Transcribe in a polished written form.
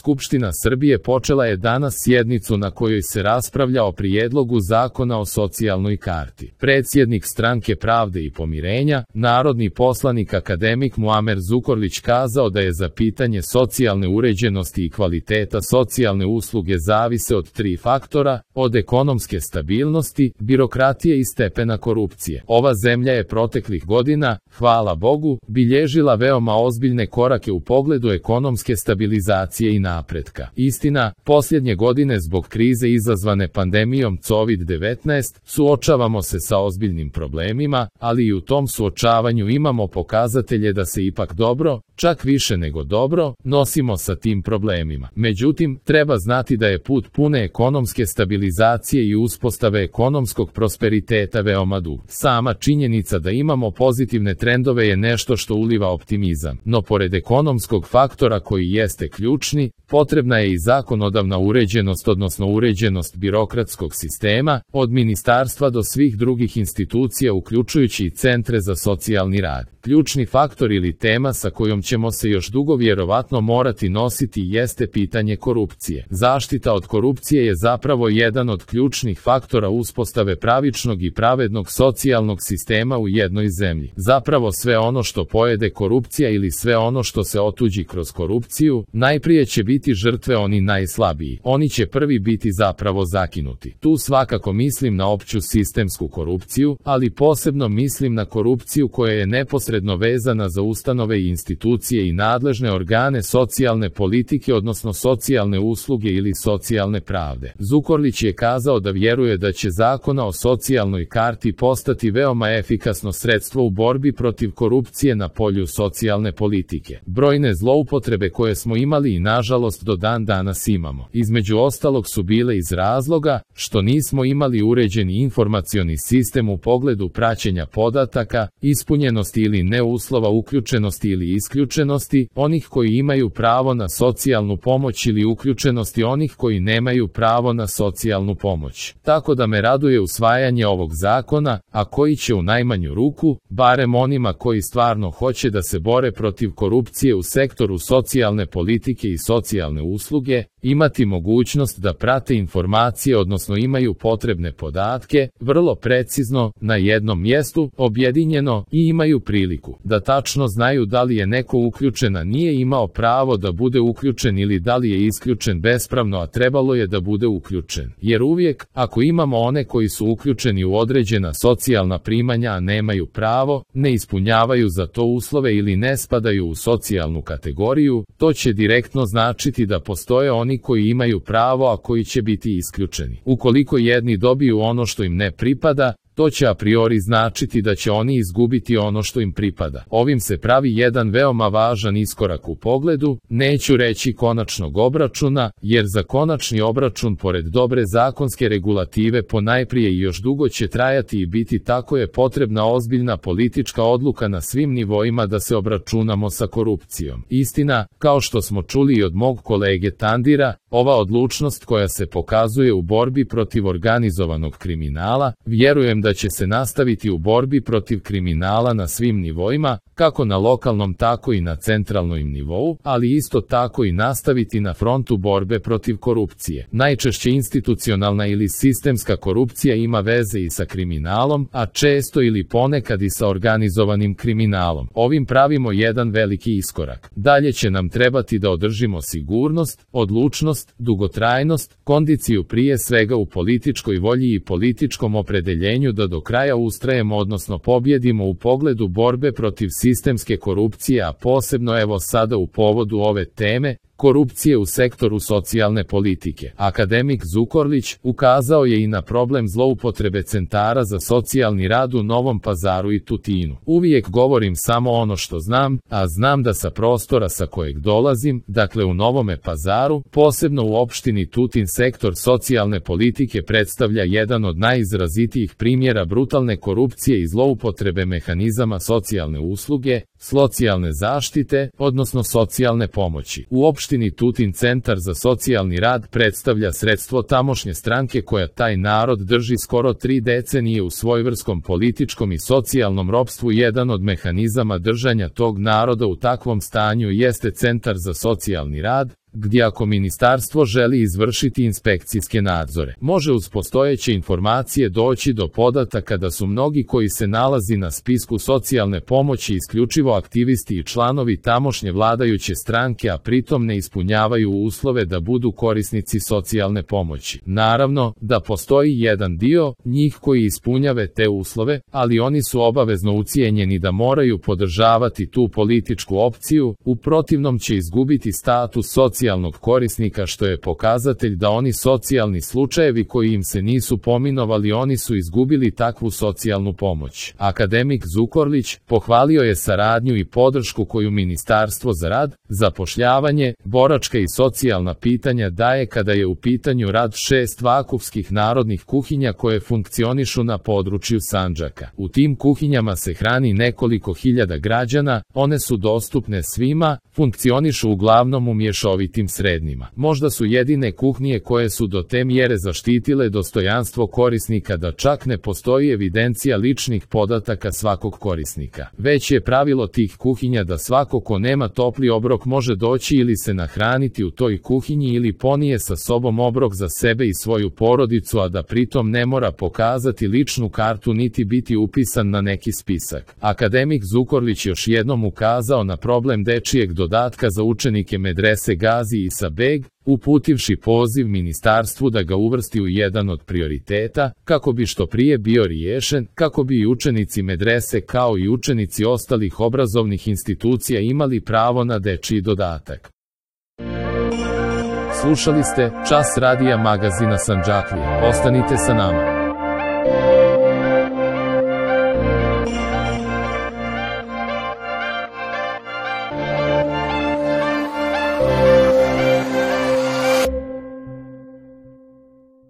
Skupština Srbije počela je danas sjednicu na kojoj se raspravlja o prijedlogu zakona o socijalnoj karti. Predsjednik Stranke pravde i pomirenja, narodni poslanik akademik Muamer Zukorlić kazao da je za pitanje socijalne uređenosti i kvaliteta socijalne usluge zavise od 3 faktora, od ekonomske stabilnosti, birokratije i stepena korupcije. Ova zemlja je proteklih godina, hvala Bogu, bilježila veoma ozbiljne korake u pogledu ekonomske stabilizacije i napretka. Istina, posljednje godine zbog krize izazvane pandemijom COVID-19 suočavamo se sa ozbiljnim problemima, ali i u tom suočavanju imamo pokazatelje da se ipak dobro, čak više nego dobro, nosimo sa tim problemima. Međutim, treba znati da je put pune ekonomske stabilizacije i uspostave ekonomskog prosperiteta veoma dug. Sama činjenica da imamo pozitivne trendove je nešto što uliva optimizam, no pored ekonomskog faktora koji jeste ključni, potrebna je i zakonodavna uređenost, odnosno uređenost birokratskog sistema, od ministarstva do svih drugih institucija uključujući i centre za socijalni rad. Ključni faktor ili tema sa kojom ćemo se još dugo vjerovatno morati nositi jeste pitanje korupcije. Zaštita od korupcije je zapravo jedan od ključnih faktora uspostave pravičnog i pravednog socijalnog sistema u jednoj zemlji. Zapravo sve ono što pojede korupcija ili sve ono što se otuđi kroz korupciju, najprije će biti žrtve oni najslabiji. Oni će prvi biti zapravo zakinuti. Tu svakako mislim na opću sistemsku korupciju, ali posebno mislim na korupciju koja je neposredno vezana za ustanove i institucije i nadležne organe socijalne politike, odnosno socijalne usluge ili socijalne pravde. Zukorlić je kazao da vjeruje da će zakona o socijalnoj karti postati veoma efikasno sredstvo u borbi protiv korupcije na polju socijalne politike. Brojne zloupotrebe koje smo imali i nažalost do dan danas imamo, između ostalog su bile iz razloga što nismo imali uređeni informacioni sistem u pogledu praćenja podataka, ispunjenosti ili ne uslova uključenosti ili isključenosti onih koji imaju pravo na socijalnu pomoć ili uključenosti onih koji nemaju pravo na socijalnu pomoć. Tako da me raduje usvajanje ovog zakona, a koji će u najmanju ruku, barem onima koji stvarno hoće da se bore protiv korupcije u sektoru socijalne politike i socijalne usluge, imati mogućnost da prate informacije, odnosno imaju potrebne podatke, vrlo precizno, na jednom mjestu, objedinjeno i imaju priliku da tačno znaju da li je neko uključen, a nije imao pravo da bude uključen ili da li je isključen bespravno, a trebalo je da bude uključen. Jer uvijek, ako imamo one koji su uključeni u određena socijalna primanja, a nemaju pravo, ne ispunjavaju za to uslove ili ne spadaju u socijalnu kategoriju, to će direktno značiti da postoje oni koji imaju pravo, a koji će biti isključeni. Ukoliko jedni dobiju ono što im ne pripada, to će a priori značiti da će oni izgubiti ono što im pripada. Ovim se pravi jedan veoma važan iskorak u pogledu, neću reći konačnog obračuna, jer za konačni obračun pored dobre zakonske regulative ponajprije i još dugo će trajati i biti, tako je potrebna ozbiljna politička odluka na svim nivoima da se obračunamo sa korupcijom. Istina, kao što smo čuli i od mog kolege Tandira, ova odlučnost koja se pokazuje u borbi protiv organizovanog kriminala, vjerujem da će se nastaviti u borbi protiv kriminala na svim nivoima, kako na lokalnom tako i na centralnom nivou, ali isto tako i nastaviti na frontu borbe protiv korupcije. Najčešće institucionalna ili sistemska korupcija ima veze i sa kriminalom, a često ili ponekad i sa organizovanim kriminalom. Ovim pravimo jedan veliki iskorak. Dalje će nam trebati da održimo sigurnost, odlučnost, dugotrajnost, kondiciju prije svega u političkoj volji i političkom opredeljenju da do kraja ustrajemo, odnosno pobjedimo u pogledu borbe protiv sistemske korupcije, a posebno evo sada u povodu ove teme, korupcije u sektoru socijalne politike. Akademik Zukorlić ukazao je i na problem zloupotrebe centara za socijalni rad u Novom Pazaru i Tutinu. Uvijek govorim samo ono što znam, a znam da sa prostora sa kojeg dolazim, dakle u Novome Pazaru, posebno u opštini Tutin, sektor socijalne politike predstavlja jedan od najizrazitijih primjera brutalne korupcije i zloupotrebe mehanizama socijalne usluge, socijalne zaštite, odnosno socijalne pomoći. U opštini Tutin Centar za socijalni rad predstavlja sredstvo tamošnje stranke koja taj narod drži skoro 3 decenije u svojevrskom političkom i socijalnom ropstvu. Jedan od mehanizama držanja tog naroda u takvom stanju jeste Centar za socijalni rad, gdje ako ministarstvo želi izvršiti inspekcijske nadzore, može uz postojeće informacije doći do podataka da su mnogi koji se nalazi na spisku socijalne pomoći isključivo aktivisti i članovi tamošnje vladajuće stranke, a pritom ne ispunjavaju uslove da budu korisnici socijalne pomoći. Naravno, da postoji jedan dio njih koji ispunjave te uslove, ali oni su obavezno ucijenjeni da moraju podržavati tu političku opciju, u protivnom će izgubiti status socijalnog korisnika, što je pokazatelj da oni socijalni slučajevi koji im se nisu pominovali, oni su izgubili takvu socijalnu pomoć. Akademik Zukorlić pohvalio je saradnju i podršku koju Ministarstvo za rad, zapošljavanje, boračka i socijalna pitanja daje kada je u pitanju rad 6 vakufskih narodnih kuhinja koje funkcionišu na području Sandžaka. U tim kuhinjama se hrani nekoliko hiljada građana, one su dostupne svima, funkcionišu uglavnom u mješovitim srednjima. Možda su jedine kuhinje koje su do te mjere zaštitile dostojanstvo korisnika da čak ne postoji evidencija ličnih podataka svakog korisnika. Već je pravilo tih kuhinja da svako ko nema topli obrok može doći ili se nahraniti u toj kuhinji ili ponije sa sobom obrok za sebe i svoju porodicu, a da pritom ne mora pokazati ličnu kartu niti biti upisan na neki spisak. Akademik Zukorlić još jednom ukazao na problem dečijeg dodatka za učenike medrese Gazi Isa Beg, uputivši poziv ministarstvu da ga uvrsti u jedan od prioriteta, kako bi što prije bio riješen, kako bi i učenici medrese kao i učenici ostalih obrazovnih institucija imali pravo na dečiji dodatak. Slušali ste Čas radija magazina Sandžaklije. Ostanite sa nama.